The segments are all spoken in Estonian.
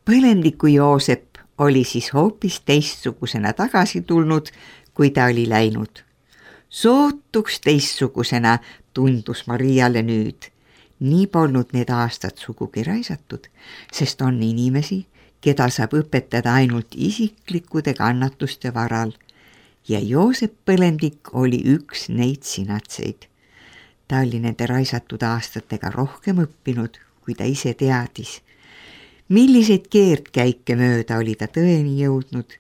Põlendiku Joosep oli siis hoopis teistsugusena tagasi tulnud, kui ta oli läinud. Sootuks teistsugusena tundus Mariale nüüd. Nii polnud need aastad sugugi raisatud, sest on inimesi, keda saab õpetada ainult isiklikkude kannatuste varal. Ja Joosep Põlendik oli üks neid sinatseid. Ta oli nende raisatud aastatega rohkem õppinud, kui ta ise teadis. Milliseid keerdkäike mööda oli ta tõeni jõudnud,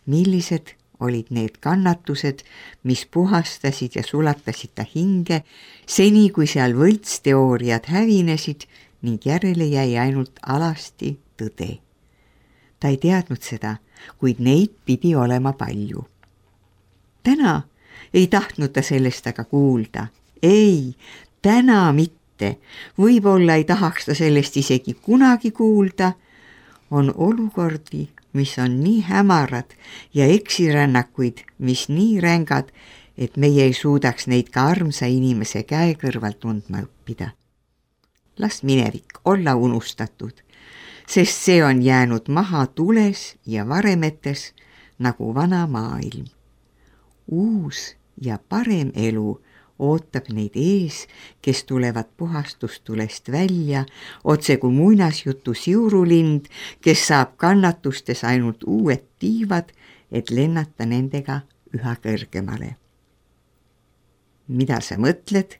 millised olid need kannatused, mis puhastasid ja sulatasid ta hinge, seni kui seal võltsteooriad hävinesid ning järele jäi ainult alasti tõde. Ta ei teadnud seda, kuid neid pidi olema palju. Täna ei tahtnud ta sellest aga kuulda. Ei, täna mitte. Võib-olla ei tahaks ta sellest isegi kunagi kuulda. On olukordi, mis on nii hämarad ja eksirännakuid, mis nii rängad, et meie ei suudaks neid ka armsa inimese käe kõrval tundma õppida. Las minevik olla unustatud, sest see on jäänud maha tules ja varemetes nagu vana maailm. Uus ja parem elu ootab neid ees, kes tulevad puhastustulest välja, otse kui muinasjutu siurulind, kes saab kannatustes ainult uued tiivad, et lennata nendega üha kõrgemale. Mida sa mõtled?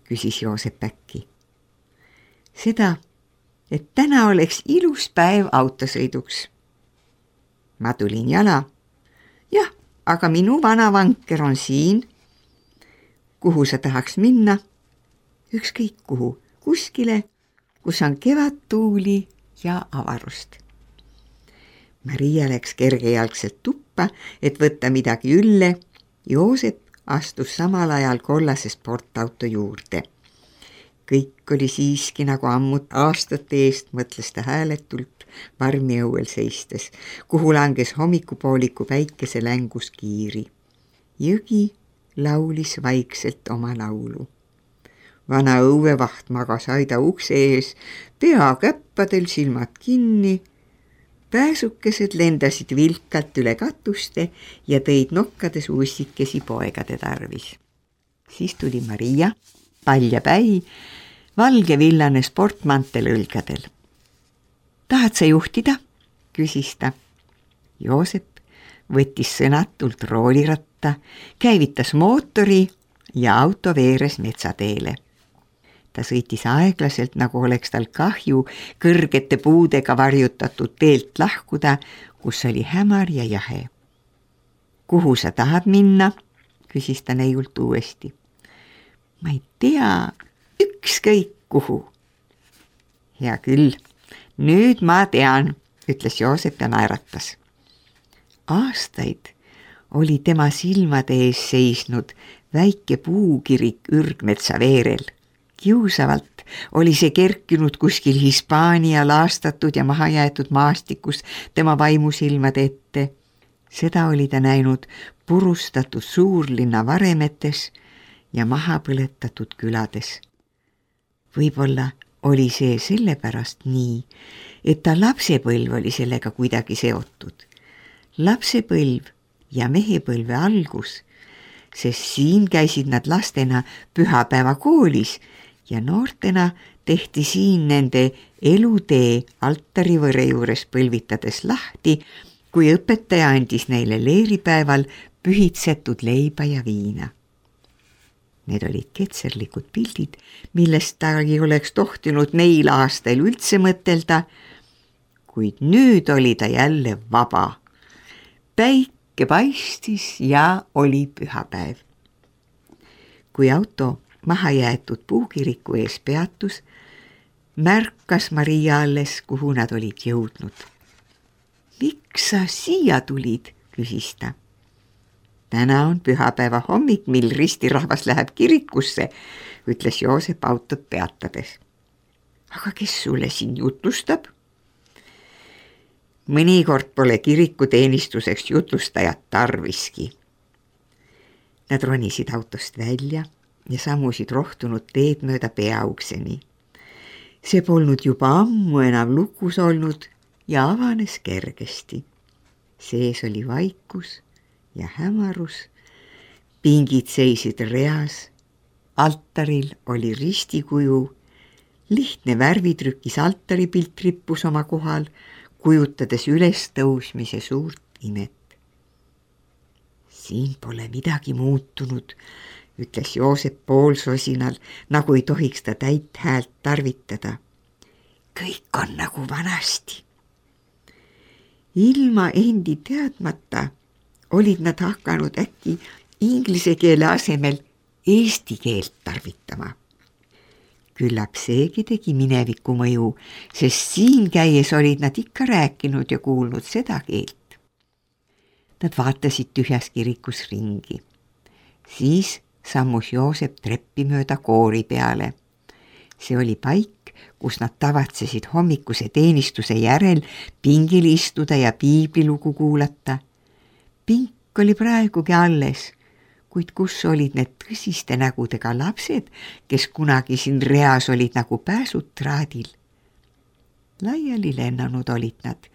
Küsis Joosep äkki. Seda, et täna oleks ilus päev autosõiduks. Ma tulin jala. Jah, aga minu vana vanker on siin. Kuhu sa tahaks minna? Ükskõik kuhu, kuskile, kus on kevadtuuli ja avarust. Maria läks kergejalgselt tuppa, et võtta midagi ülle. Joosep astus samal ajal kollase sportauto juurde. Kõik oli siiski nagu ammut aastate eest, mõtles ta hääletult varmi õuel seistes, kuhu langes hommikupooliku päikese längus kiiri. Jõgi laulis vaikselt oma laulu. Vana õuevaht magas aida ukse ees, pea käppadel, silmad kinni. Pääsukesed lendasid vilkalt üle katuste ja tõid nokkades ussikesi poegade tarvis. Siis tuli Maria, paljapäi, valge villane sportmantel õlgadel. Tahad sa juhtida? Küsis ta. Joosep võttis sõnatult rooliratta, käivitas mootori ja auto veeres metsateele. Ta sõitis aeglaselt, nagu oleks tal kahju kõrgete puudega varjutatud teelt lahkuda, kus oli hämar ja jahe. Kuhu sa tahad minna? Küsis ta neiult uuesti. Ma ei tea, ükskõik kuhu. Hea küll, nüüd ma tean, ütles Joosep ja naeratas. Aastaid oli tema silmade ees seisnud väike puukirik ürgmetsa veerel. Kiusavalt oli see kerkinud kuskil Hispaania laastatud ja mahajäetud maastikus tema vaimusilmade ette. Seda oli ta näinud purustatud suurlinna varemetes ja maha põletatud külades. Võib-olla oli see sellepärast nii, et ta lapsepõlv oli sellega kuidagi seotud. Lapsepõlv ja mehepõlve algus, sest siin käisid nad lastena pühapäeva koolis ja noortena tehti siin nende elutee altarivõre juures põlvitades lahti, kui õpetaja andis neile leeripäeval pühitsetud leiba ja viina. Need olid ketserlikud pildid, millest ta ei oleks tohtinud neil aastail üldse mõtelda, kuid nüüd oli ta jälle vaba. Päike paistis ja oli pühapäev. Kui auto mahajäetud puukiriku ees peatus, märkas Maria alles, kuhu nad olid jõudnud. Miks sa siia tulid? Küsis ta. Täna on pühapäeva hommik, mil ristirahvas läheb kirikusse, ütles Joosep autot peatades. Aga kes sulle siin jutustab? Mõnikord pole kirikuteenistuseks jutlustajat tarviski. Nad ronisid autost välja ja sammusid rohtunud teed mööda peaukseni. See polnud juba ammu enam lukus olnud ja avanes kergesti. Sees oli vaikus ja hämarus. Pingid seisid reas. Altaril oli ristikuju. Lihtne värvitrükis altaripilt rippus oma kohal, kujutades ülestõusmise suurt imet. Siin pole midagi muutunud, ütles Joosep poolsosinal, nagu ei tohiks ta täit häält tarvitada. Kõik on nagu vanasti. Ilma endi teadmata olid nad hakanud äkki inglise keele asemel eesti keelt tarvitama. Küllap seegi tegi mineviku mõju, sest siin käies olid nad ikka rääkinud ja kuulnud seda keelt. Nad vaatasid tühjas kirikus ringi. Siis sammus Joosep treppi mööda koori peale. See oli paik, kus nad tavatsesid hommikuse teenistuse järel pingil istuda ja piiblilugu kuulata. Pink oli praegugi alles, kuid kus olid need tõsiste nägudega lapsed, kes kunagi siin reas olid nagu pääsud traadil. Laiali lennanud olid nad,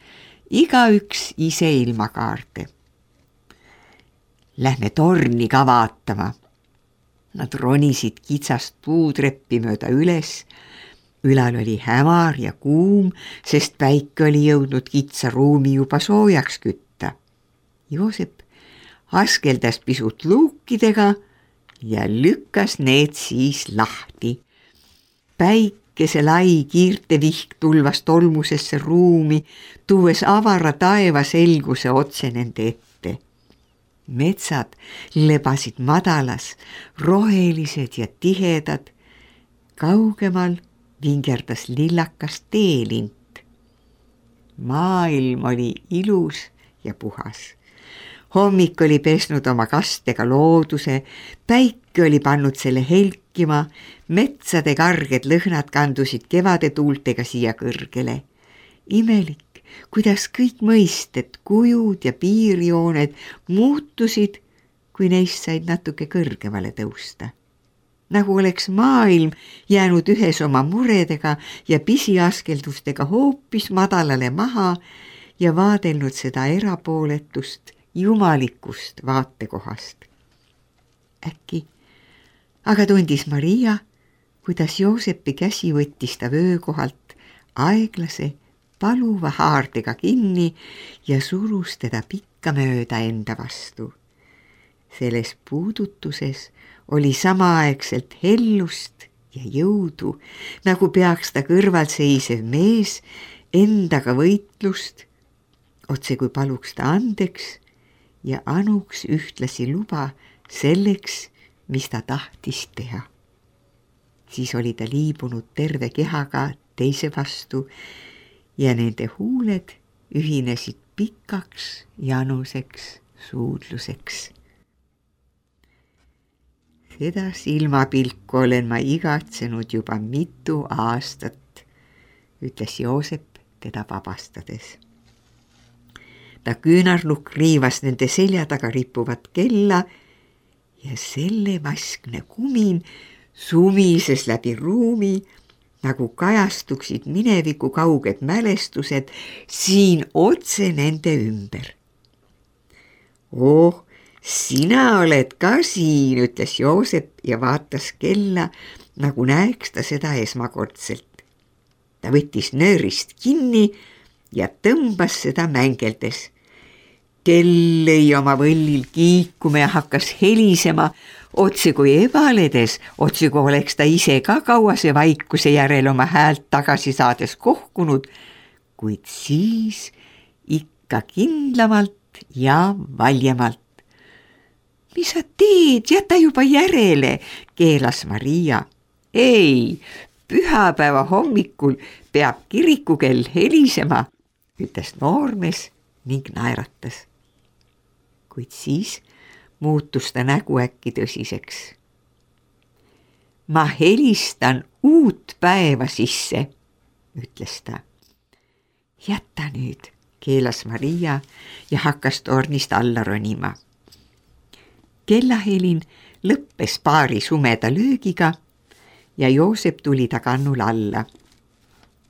igaüks ise ilma kaarte. Lähme torni ka vaatama. Nad ronisid kitsast puutreppi mööda üles. Ülal oli hämar ja kuum, sest päike oli jõudnud kitsa ruumi juba soojaks kütta. Joosep askeldas pisut luukidega ja lükkas need siis lahti. Päikese lai kiirtevihk tulvas tolmusesse ruumi, tuues avara taeva selguse otse nende ette. Metsad lebasid madalas, rohelised ja tihedad. Kaugemal vingerdas lillakas teelint. Maailm oli ilus ja puhas. Hommik oli pesnud oma kastega looduse, päike oli pannud selle helkima, metsade karged lõhnad kandusid kevade tuultega siia kõrgele. Imelik, kuidas kõik mõisted, kujud ja piirjooned muutusid, kui neist said natuke kõrgemale tõusta. Nagu oleks maailm jäänud ühes oma muredega ja pisiaskeldustega hoopis madalale maha ja vaadelnud seda erapooletust, jumalikust vaatekohast. Äkki aga tundis Maria, kuidas Joosepi käsi võttis ta vöökohalt aeglase paluva haardega kinni ja surus teda pikka mööda enda vastu. Selles puudutuses oli samaaegselt hellust ja jõudu, nagu peaks ta kõrval seisev mees endaga võitlust, otse kui paluks ta andeks ja anuks ühtlasi luba selleks, mis ta tahtis teha. Siis oli ta liibunud terve kehaga teise vastu ja nende huuled ühinesid pikaks januseks suudluseks. Seda silmapilku olen ma igatsenud juba mitu aastat, ütles Joosep teda vabastades. Ta küünarlukk riivas nende selja taga rippuvat kella ja selle vaskne kumin sumises läbi ruumi, nagu kajastuksid mineviku kauged mälestused siin otse nende ümber. Oh, sina oled ka siin, ütles Joosep ja vaatas kella, nagu näeks ta seda esmakordselt. Ta võttis nöörist kinni ja tõmbas seda mängeldes. Kell lõi oma võllil kiikuma ja hakkas helisema, otse kui ebaledes, otse kui oleks ta ise ka kauase vaikuse järel oma häält tagasi saades kohkunud, kuid siis ikka kindlamalt ja valjemalt. Mis sa teed, jäta juba järele, keelas Maria. Ei, pühapäeva hommikul peab kirikukell helisema, ütles noormees ning naeratas. Kuid siis muutus ta nägu äkki tõsiseks. Ma helistan uut päeva sisse, ütles ta. Jäta nüüd, keelas Maria ja hakkas tornist alla ronima. Kellahelin lõppes paari sumeda löögiga ja Joosep tuli ta kannul alla.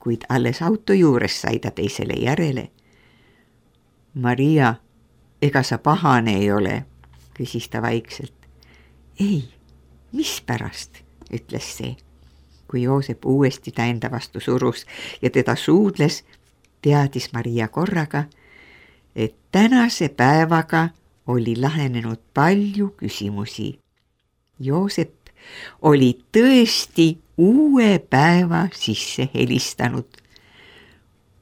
kuid alles auto juures sai ta teisele järele. Maria, ega sa pahane ei ole, küsis ta vaikselt. Ei, mispärast, ütles see. Kui Joosep uuesti ta enda vastu surus ja teda suudles, teadis Maria korraga, et tänase päevaga oli lahenenud palju küsimusi. Joosep oli tõesti uue päeva sisse helistanud.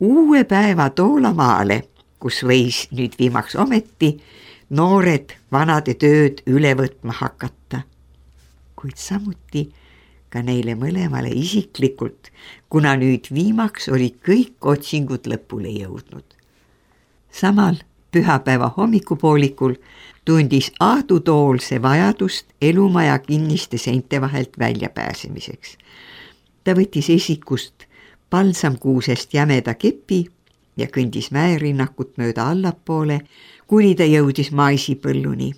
Uue päeva Toolamaale, kus võis nüüd viimaks ometi noored vanade tööd üle võtma hakata. Kuid samuti ka neile mõlemale isiklikult, kuna nüüd viimaks oli kõik otsingud lõpule jõudnud. Samal pühapäeva hommikupoolikul tundis Aadu Toolse vajadust elumaja kinniste seinte vahelt väljapääsemiseks. Ta võttis esikust palsamkuusest jämeda kepi ja kõndis mäerinnakut mööda allapoole, kuni ta jõudis maisipõlluni.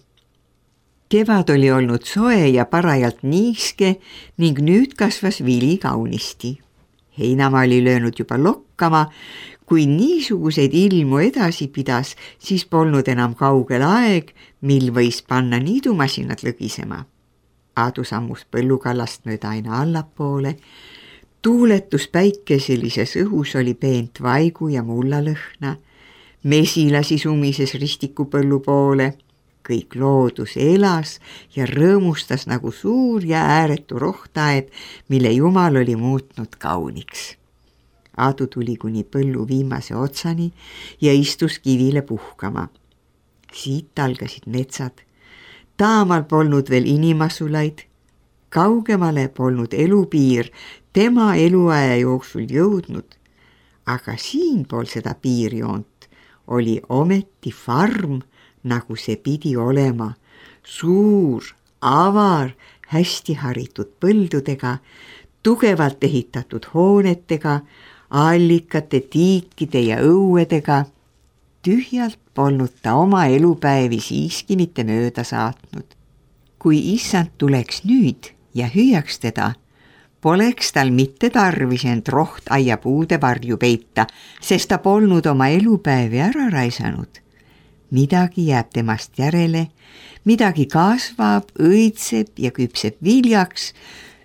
Kevad oli olnud soe ja parajalt niiske ning nüüd kasvas vili kaunisti. Heinamaa oli löönud juba lokkama. Kui niisuguseid ilmu edasi pidas, siis polnud enam kaugel aeg, mil võis panna niidumasinad lõgisema. Aadu sammus põllukallast mööda aina allapoole. Tuuletus päikeselises õhus oli peent vaigu ja mullalõhna. Mesilasi sumises ristikupõllu poole. Kõik loodus elas ja rõõmustas nagu suur ja ääretu rohtaed, mille Jumal oli muutnud kauniks. Aadu tuli kuni põllu viimase otsani ja istus kivile puhkama. Siit algasid metsad. Taamal polnud veel inimasulaid. Kaugemale polnud elupiir tema eluaja jooksul jõudnud. Aga siinpool seda piirjoont oli ometi farm, nagu see pidi olema. Suur, avar, hästi haritud põldudega, tugevalt ehitatud hoonetega, allikate, tiikide ja õuedega. Tühjalt polnud ta oma elupäevi siiski mitte mööda saatnud. Kui issand tuleks nüüd ja hüüaks teda, poleks tal mitte tarvis end rohtaia-puude varju peita, sest ta polnud oma elupäevi ära raisanud. Midagi jääb temast järele, midagi kasvab, õitseb ja küpseb viljaks,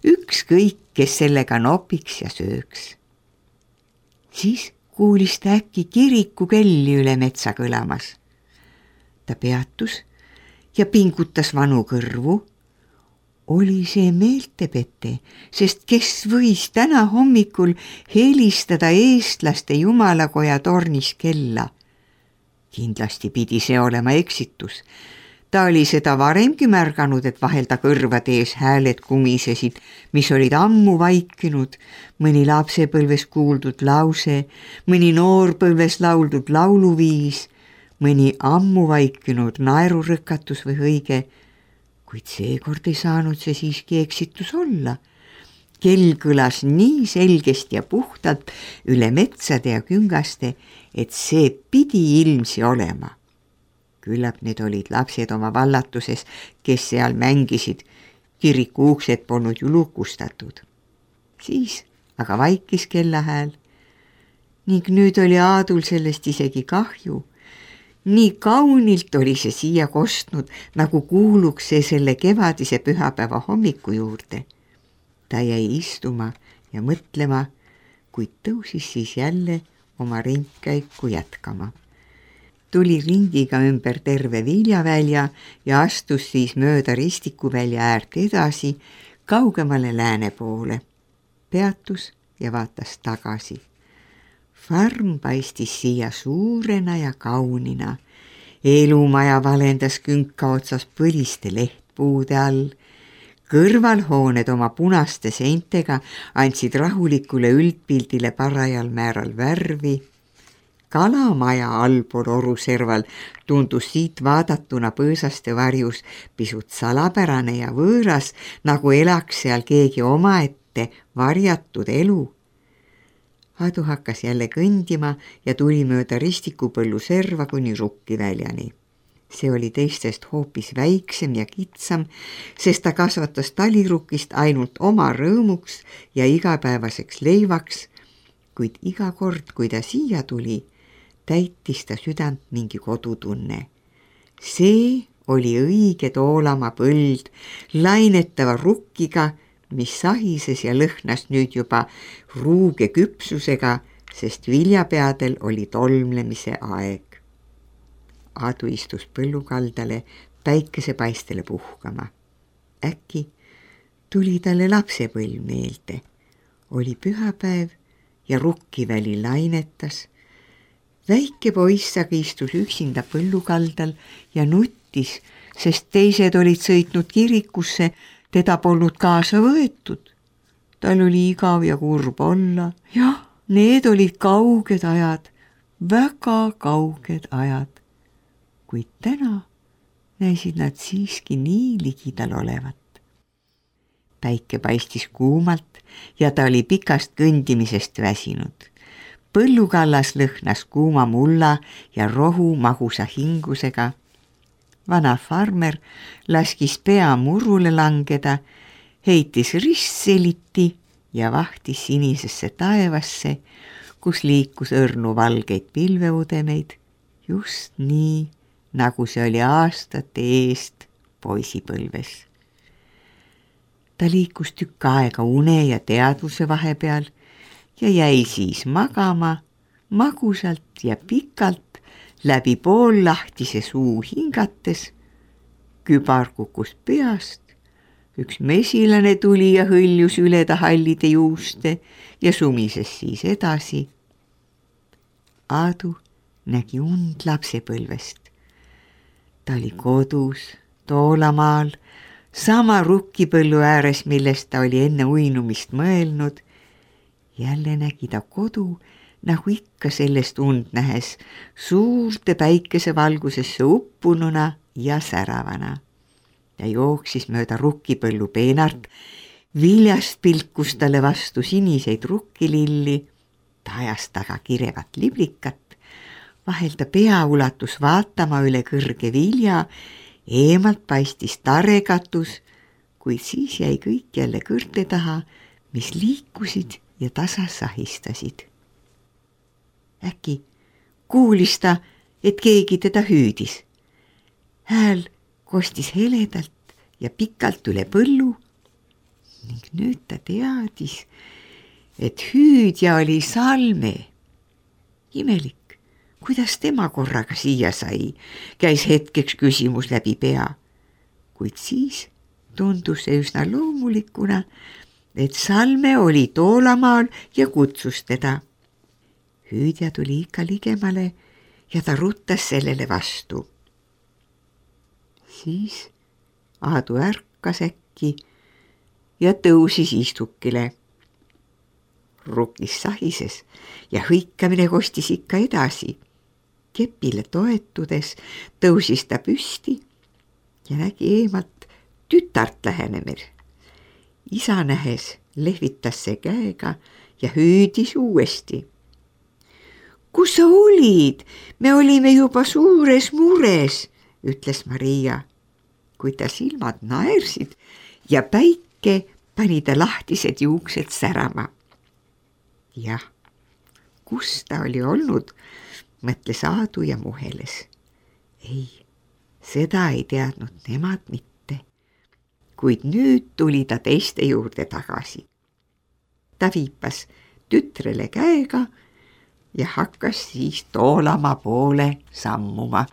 ükskõik, kes sellega nopiks ja sööks. Siis kuulis ta äkki kirikukelli üle metsa kõlamas. Ta peatus ja pingutas vanu kõrvu. Oli see meeltepete, sest kes võis täna hommikul helistada eestlaste jumalakoja tornis kella? Kindlasti pidi see olema eksitus. Ta oli seda varemgi märganud, et vahel ta kõrvade ees hääled kumisesid, mis olid ammu vaikinud, mõni lapsepõlves kuuldud lause, mõni noorpõlves lauldud lauluviis, mõni ammu vaikinud naerurõkatus või hõige, kuid seekord ei saanud see siiski eksitus olla. Kell kõlas nii selgesti ja puhtalt üle metsade ja küngaste, et see pidi ilmsi olema. Küllap need olid lapsed oma vallatuses, kes seal mängisid, kiriku uksed polnud ju lukustatud. Siis aga vaikis kellahääl ning nüüd oli Aadul sellest isegi kahju. Nii kaunilt oli see siia kostnud, nagu kuuluks see selle kevadise pühapäeva hommiku juurde. Ta jäi istuma ja mõtlema, kuid tõusis siis jälle oma ringkäiku jätkama. Tuli ringiga ümber terve viljavälja ja astus siis mööda ristikuvälja äärt edasi, kaugemale lääne poole. Peatus ja vaatas tagasi. Farm paistis siia suurena ja kaunina. Elumaja valendas künka otsas põliste lehtpuude all. Kõrvalhooned oma punaste seintega andsid rahulikule üldpildile parajal määral värvi. Kalamaja allpool oruserval tundus siit vaadatuna põõsaste varjus pisut salapärane ja võõras, nagu elaks seal keegi omaette varjatud elu. Aadu hakkas jälle kõndima ja tuli mööda ristikupõllu serva kuni rukkiväljani. See oli teistest hoopis väiksem ja kitsam, sest ta kasvatas talirukist ainult oma rõõmuks ja igapäevaseks leivaks, kuid iga kord, kui ta siia tuli, täitis ta südant mingi kodutunne. See oli õige Toolamaa põld lainetava rukkiga, mis sahises ja lõhnas nüüd juba ruuge küpsusega, sest viljapeadel oli tolmlemise aeg. Aadu istus põllukaldale päikesepaistele puhkama. Äkki tuli talle lapsepõlv meelde. Oli pühapäev ja rukkiväli lainetas. Väike poiss aga istus üksinda põllukaldal ja nuttis, sest teised olid sõitnud kirikusse, teda polnud kaasa võetud. Tal oli igav ja kurb olla. Jah, need olid kauged ajad, väga kauged ajad. Kuid täna näisid nad siiski nii ligidal olevat. Päike paistis kuumalt ja ta oli pikast kõndimisest väsinud. Põllukallas lõhnas kuuma mulla ja rohu magusa hingusega. Vana farmer laskis pea murule langeda, heitis ristseliti ja vahtis sinisesse taevasse, kus liikus õrnu valgeid pilveudemeid, just nii, nagu see oli aastate eest poisipõlves. Ta liikus tükk aega une ja teadvuse vahepeal ja jäi siis magama magusalt ja pikalt läbi poollahtise suu hingates. Kübar kukkus peast, üks mesilane tuli ja hõljus üle ta hallide juuste ja sumises siis edasi. Aadu nägi und lapsepõlvest. Ta oli kodus Toolamaal, sama rukkipõllu ääres, millest ta oli enne uinumist mõelnud. Jälle nägi ta kodu, nagu ikka sellest und nähes, suurte päikesevalgusesse uppununa ja säravana. Ta jooksis mööda rukkipõllu peenart, viljast pilkus talle vastu siniseid rukkililli, ta ajas taga kirevat liblikat, vahel ta pea ulatus vaatama üle kõrge vilja, eemalt paistis tarekatus, kuid siis jäi kõik jälle kõrte taha, mis liikusid ja tasa sahistasid. Äkki kuulis ta, et keegi teda hüüdis. Hääl kostis heledalt ja pikalt üle põllu ning nüüd ta teadis, et hüüdja oli Salme. Imelik, kuidas tema korraga siia sai, käis hetkeks küsimus läbi pea, kuid siis tundus see üsna loomulikuna, et Salme oli Toolamaal ja kutsus teda. Hüüdja tuli ikka ligemale ja ta ruttas sellele vastu. Siis Aadu ärkas äkki ja tõusis istukile. Rukis sahises ja hõikamine kostis ikka edasi. Kepile toetudes tõusis ta püsti ja nägi eemalt tütart lähenemer. Isa nähes lehvitas see käega ja hüüdis uuesti. Kus sa olid? Me olime juba suures mures, ütles Maria, kuid ta silmad naersid ja päike pani ta lahtised juuksed särama. Jah, kus ta oli olnud, mõtles Aadu ja muheles. Ei, seda ei teadnud nemad mitte, kuid nüüd tuli ta teiste juurde tagasi. Ta viipas tütrele käega ja hakkas siis Toolamaa poole sammuma.